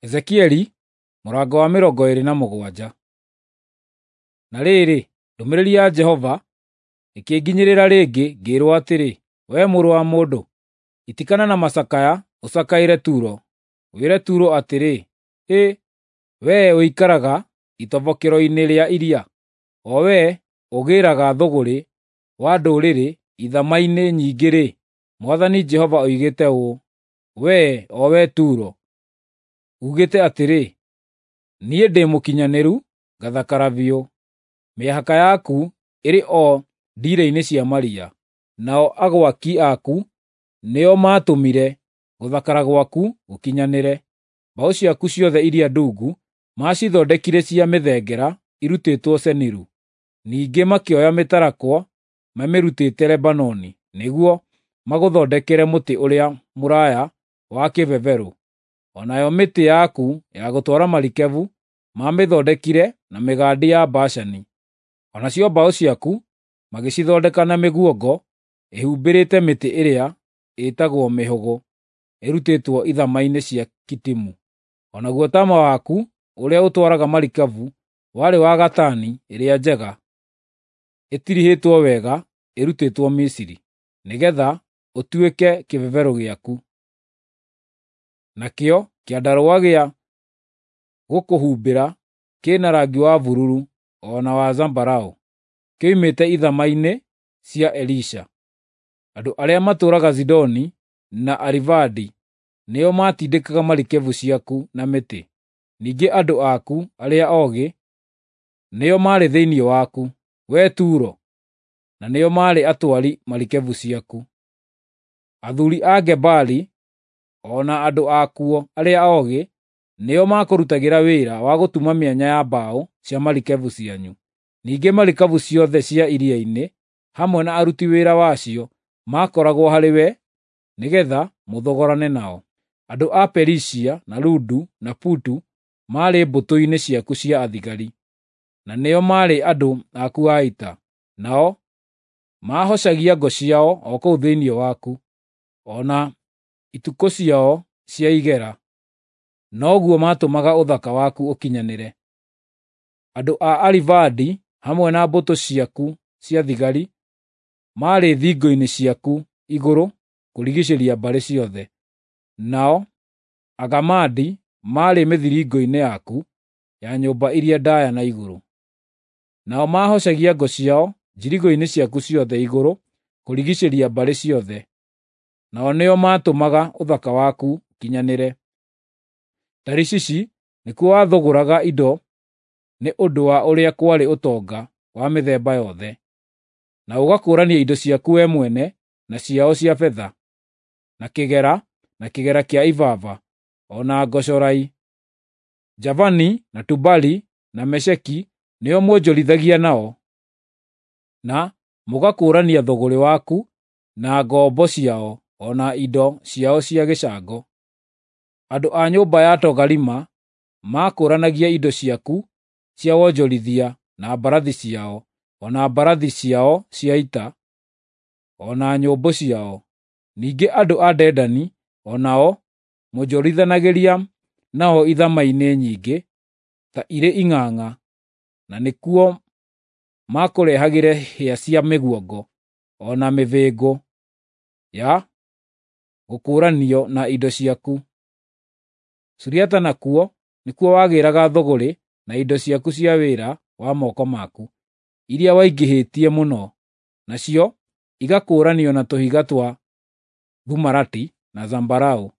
Ezekieli mũrango wa 27. Na rĩrĩ, ndũmĩrĩri ya Jehova ĩkĩnginyĩrĩra rĩngĩ, ngĩĩrwo atĩrĩ, “Wee mũrũ wa mũndũ, itikana na macakaya ũcakaĩre Turo. Wĩre Turo atĩrĩ, ‘Hĩ, wee ũikaraga itobokero-inĩ rĩa iria, o wee ũgĩĩraga thũgũrĩ wa ndũrĩrĩ ithama-inĩ nyingĩ-rĩ, Mwathani Jehova oigĩte ũũ: Wee, o wee Turo, uugĩte atĩrĩ, ‘Niĩ ndĩ mũkinyanĩru, ngathakara biũ.’ Mĩhaka yaku ĩrĩ o ndiira-inĩ cia maria, nao agwaki aku nĩo maatũmire gũthakara gwaku gũkinyanĩre. Mbaũ ciaku ciothe iria ndungu maacithondekire cia mĩthengera ĩrutĩtwo Seniru. Ningĩ makĩoya mĩtarakwa mamĩrutĩte Lebanoni nĩguo magũthondekere mũtĩ ũrĩa mũraaya wa kĩbeberũ. O nayo mĩtĩ yaku ya gũtwara marikabu maamĩthondekire na mĩgandi ya Bashani. O nacio mbaũ ciaku magĩcithondeka na mĩguongo ĩhumbĩrĩte mĩtĩ ĩrĩa ĩtagwo mĩhũgũ ĩrutĩtwo ithama-inĩ cia Kitimu. O naguo taama waku ũrĩa ũtwaraga marikabu warĩ wa gatani ĩrĩa njega ĩtirihĩtwo wega ĩrutĩtwo Misiri, nĩgeetha ũtuĩke kĩbeberũ gĩaku. Nakĩo kĩandarũa gĩa gũkũhumbĩra kĩna rangi wa bururu o na wa zambarau, kĩoimĩte ithama-inĩ cia Elisha. Andũ arĩa matũũraga Zidoni na Arivadi nĩo maatindĩkaga marikabu ciaku na mĩtĩ. Ningĩ andũ aku arĩa oogĩ nĩo maarĩ thĩinĩ waku, wee Turo, na nĩo maarĩ atwari marikabu ciaku. Athuuri a Gebali o na andũ akuo arĩa oogĩ nĩo maakũrutagĩra wĩra wa gũtuma mĩanya ya mbaũ cia marikabu cianyu. Ningĩ marikabu ciothe cia iria-inĩ hamwe na aruti wĩra wacio maakoragwo harĩwe nĩgeetha mũthogorane nao. Andũ a Perisia na Ludu na Putu maarĩ mbũtũ-inĩ ciaku cia athigari, na nĩo maarĩ andũ aku a ita. Nao maahocagia ngo ciao o kũu thĩinĩ waku, o na itukũ ciao cia igera, noguo maatũmaga ũthaka waku ũkinyanĩre. Andũ a Arivadi hamwe na mbũtũ ciaku cia thigari maarĩ thingo-inĩ ciaku igũrũ kũrigiicĩria mbarĩ ciothe, nao Agamadi maarĩ mĩthiringo-inĩ yaku ya nyũmba iria ndaaya na igũrũ. Nao maahocagia ngo ciao njirigo-inĩ ciaku ciothe igũrũ kũrigiicĩria mbarĩ ciothe, nao nĩo maatũmaga ũthaka waku ũkinyanĩre. Tarishishi nĩkuo wathũgũraga indo nĩ ũndũ wa ũrĩa kwarĩ ũtonga wa mĩthemba yothe, na ũgakũũrania indo ciaku wee mwene na ciao cia betha, na kĩgera, na kĩgera kĩa ibaba, o na ngocorai. Javani na Tubali na Mesheki nĩo mwonjorithagia nao, na mũgakũũrania thũgũrĩ waku na ngombo ciao o na indo ciao cia gĩcango. Andũ a nyũmba ya Togarima maakũũranagia indo ciaku cia wonjorithia na mbarathi ciao, o na mbarathi ciao cia ita, o na nyũmbũ ciao. Ningĩ andũ a Dedani o nao mwonjorithanagĩria nao ithama-inĩ nyingĩ ta irĩ ing'ang'a, na nĩkuo maakũrehagĩre hĩa cia mĩguongo o na mĩbĩngũ ya gũkũũranio na indo ciaku. Suriata nakuo nĩkuo wagĩraga thũgũrĩ na indo ciaku cia wĩra wa moko maku, iria waingĩhĩtie mũno, nacio igakũũranio na tũhiga twa thumarati na zambarau,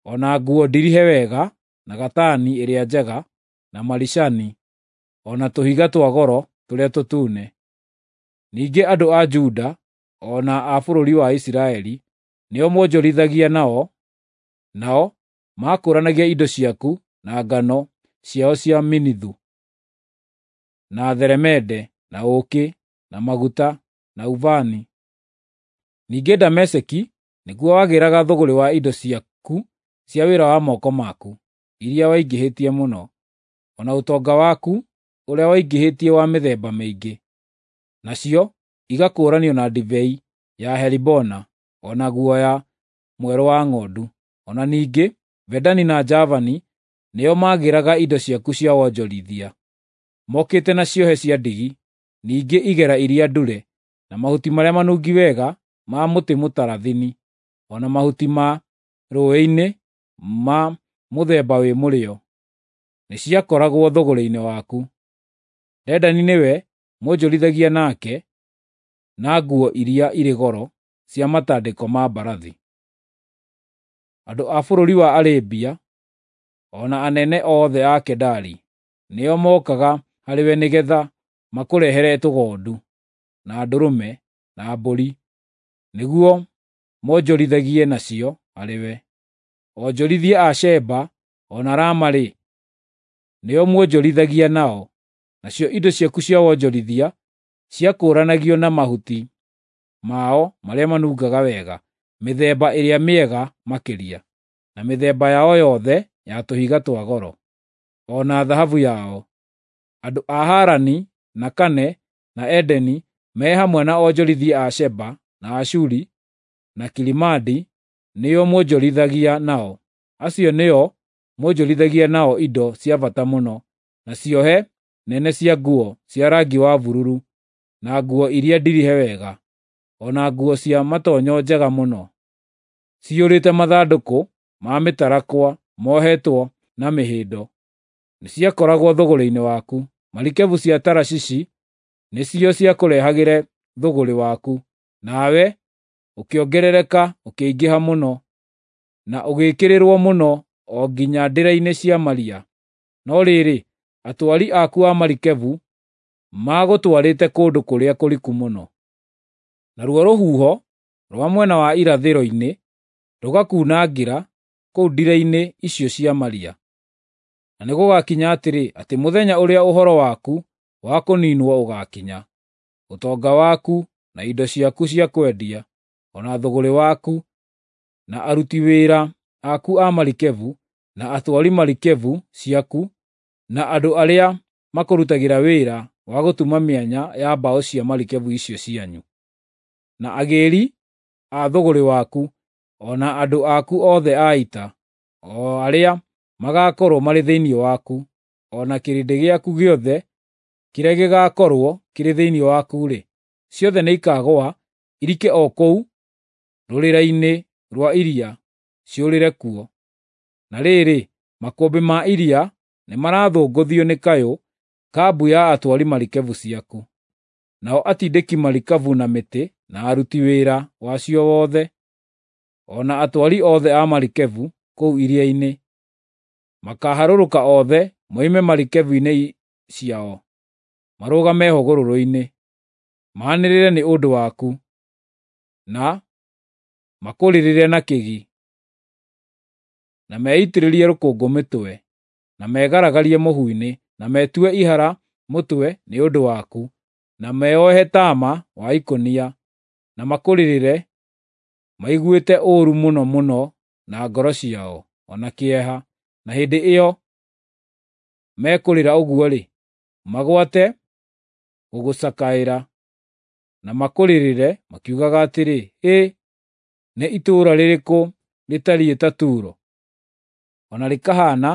o na nguo ndirihe wega na gatani ĩrĩa njega na maricani, o na tũhiga twa goro tũrĩa tũtune. Ningĩ andũ a Juda o na a bũrũri wa Isiraeli nĩo mwonjorithagia nao, nao maakũũranagia indo ciaku na ngano ciao cia Minithu, na theremende, na ũũkĩ, na maguta, na ubani. Ningĩ Dameski nĩkuo wagĩraga thũgũrĩ wa indo ciaku cia wĩra wa moko maku, iria waingĩhĩtie mũno, o na ũtonga waku ũrĩa waingĩhĩtie wa mĩthemba mĩingĩ, nacio igakũũranio na ndibei ya Helibona, o na guoya mwerũ wa ng'ondu. O na ningĩ Vedani na Javani nĩo maagĩraga indo ciaku cia wonjorithia, mokĩte na ciohe cia ndigi, ningĩ igera iria ndure, na mahuti marĩa manungi wega ma mũtĩ mũtarathini, o na mahuti ma rũũĩ-inĩ ma mũthemba wĩ mũrĩo, nĩciakoragwo thũgũrĩ-inĩ waku. Dedani nĩwe mwonjorithagia nake na nguo iria irĩ goro cia matandĩko ma mbarathi. Andũ a bũrũri wa Arabia, o na anene othe a Kedari, nĩo mookaga harĩwe nĩgeetha makũrehere tũgondu, na ndũrũme, na mbũri, nĩguo monjorithagie nacio harĩwe. Onjorithia a Sheba o na Rama-rĩ, nĩo mwonjorithagia nao, nacio indo ciaku cia wonjorithia ciakũũranagio na mahuti mao marĩa manungaga wega, mĩthemba ĩrĩa mĩega makĩria, na mĩthemba yao yothe ya tũhiga twa goro, o na thahabu yao. Andũ a Harani, na Kane, na Edeni me hamwe na onjorithia a Sheba, na Ashuri, na Kilimadi nĩo mwonjorithagia nao. Acio nĩo mwonjorithagia nao indo cia bata mũno, na ciohe nene cia nguo cia rangi wa bururu, na nguo iria ndirihe wega, o na nguo cia matonyo njega mũno, ciyũrĩte mathandũkũ ma mĩtarakwa mohetwo na mĩhĩndo, nĩciakoragwo thũgũrĩ-inĩ waku. Marikebu cia Tarashishi nĩcio ciakũrehagĩre thũgũrĩ waku, nawe ũkĩongerereka ũkĩingĩha mũno, na ũgĩkĩrĩrwo mũno o nginya ndĩra-inĩ cia maria. No rĩrĩ, atwari aku a marikebu maagũtwarĩte kũndũ kũrĩa kũriku mũno. Naruo rũhuho rwa mwena wa irathĩro-inĩ rũgakuunangĩra kũu ndĩra-inĩ icio cia maria. Na nĩgũgakinya atĩrĩ, atĩ mũthenya ũrĩa ũhoro waku wa kũniinwo ũgaakinya, ũtonga waku na indo ciaku cia kwendia, o na thũgũrĩ waku, na aruti wĩra aku a marikebu, na atwari marikebu ciaku, na andũ arĩa makũrutagĩra wĩra wa gũtuma mĩanya ya mbaũ cia marikebu icio cianyu, na agĩĩri a thũgũrĩ waku, o na andũ aku othe a ita, o arĩa magaakorwo marĩ thĩinĩ waku, o na kĩrĩndĩ gĩaku gĩothe kĩrĩa gĩgaakorwo kĩrĩ thĩinĩ waku-rĩ, ciothe nĩikagũa irike o kũu rũrĩra-inĩ rwa iria, ciũrĩre kuo. Na rĩrĩ, makũmbĩ ma iria nĩmarathũngũthio nĩ kayũ ka mbu ya atwari marikebu ciaku, nao atindĩki marikabu na mĩtĩ na aruti wĩra wacio wothe, o na atwari othe a marikebu kũu iria-inĩ, makaaharũrũka othe moime marikebu-inĩ ciao, marũgame hũgũrũrũ-inĩ, maanĩrĩre nĩ ũndũ waku, na makũrĩrĩre na kĩgi, na meitĩrĩrie rũkũngũ mĩtwe, na megaragarie mũhu-inĩ, na metue ihara mũtwe nĩ ũndũ waku, na meohe taama wa ikũnia, na makũrĩrĩre maiguĩte ũũru mũno mũno na ngoro ciao, o na kĩeha. Na hĩndĩ ĩyo mekũrĩra ũguo-rĩ, magwate gũgũcakaĩra, na makũrĩrĩre makiugaga atĩrĩ, ‘Hĩ, nĩ itũũra rĩrĩkũ rĩtariĩ ta Turo, o na rĩkahaana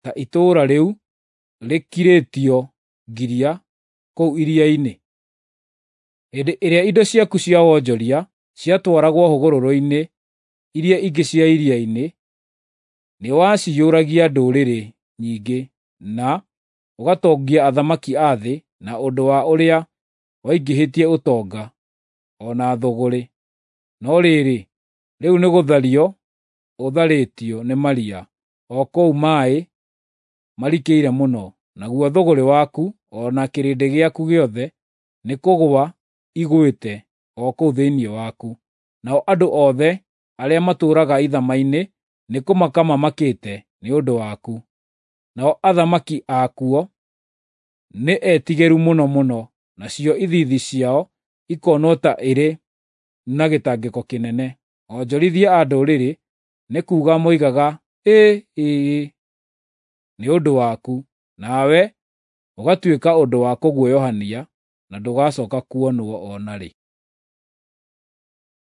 ta itũũra rĩu rĩkirĩtio ngiria kũu iria-inĩ?’ Hĩndĩ ĩrĩa indo ciaku cia wonjoria ciatwaragwo hũgũrũrũ-inĩ iria ingĩ cia iria-inĩ, nĩwaciyũragia ndũrĩrĩ nyingĩ na ũgatongia athamaki a thĩ na ũndũ wa ũrĩa waingĩhĩtie ũtonga o na thũgũrĩ. No rĩrĩ, rĩu nĩgũthario ũtharĩtio nĩ maria, o kũu maaĩ marikĩire mũno, naguo thũgũrĩ waku o na kĩrĩndĩ gĩaku gĩothe nĩkũgũa igwĩte o kũu thĩinĩ waku. Nao andũ othe arĩa matũũraga ithama-inĩ nĩkũmaka mamakĩte nĩ ũndũ waku. Nao athamaki akuo nĩ etigĩru mũno mũno, nacio ithiithi ciao ikonwo ta irĩ na gĩtangĩko kĩnene. Onjorithia a ndũrĩrĩ nĩ kuuga moigaga, ‘Ĩĩ! Ĩĩ!’ nĩ ũndũ waku, nawe ũgatuĩka ũndũ wa kũguoyohania na ndũgacooka kuonwo o na rĩ.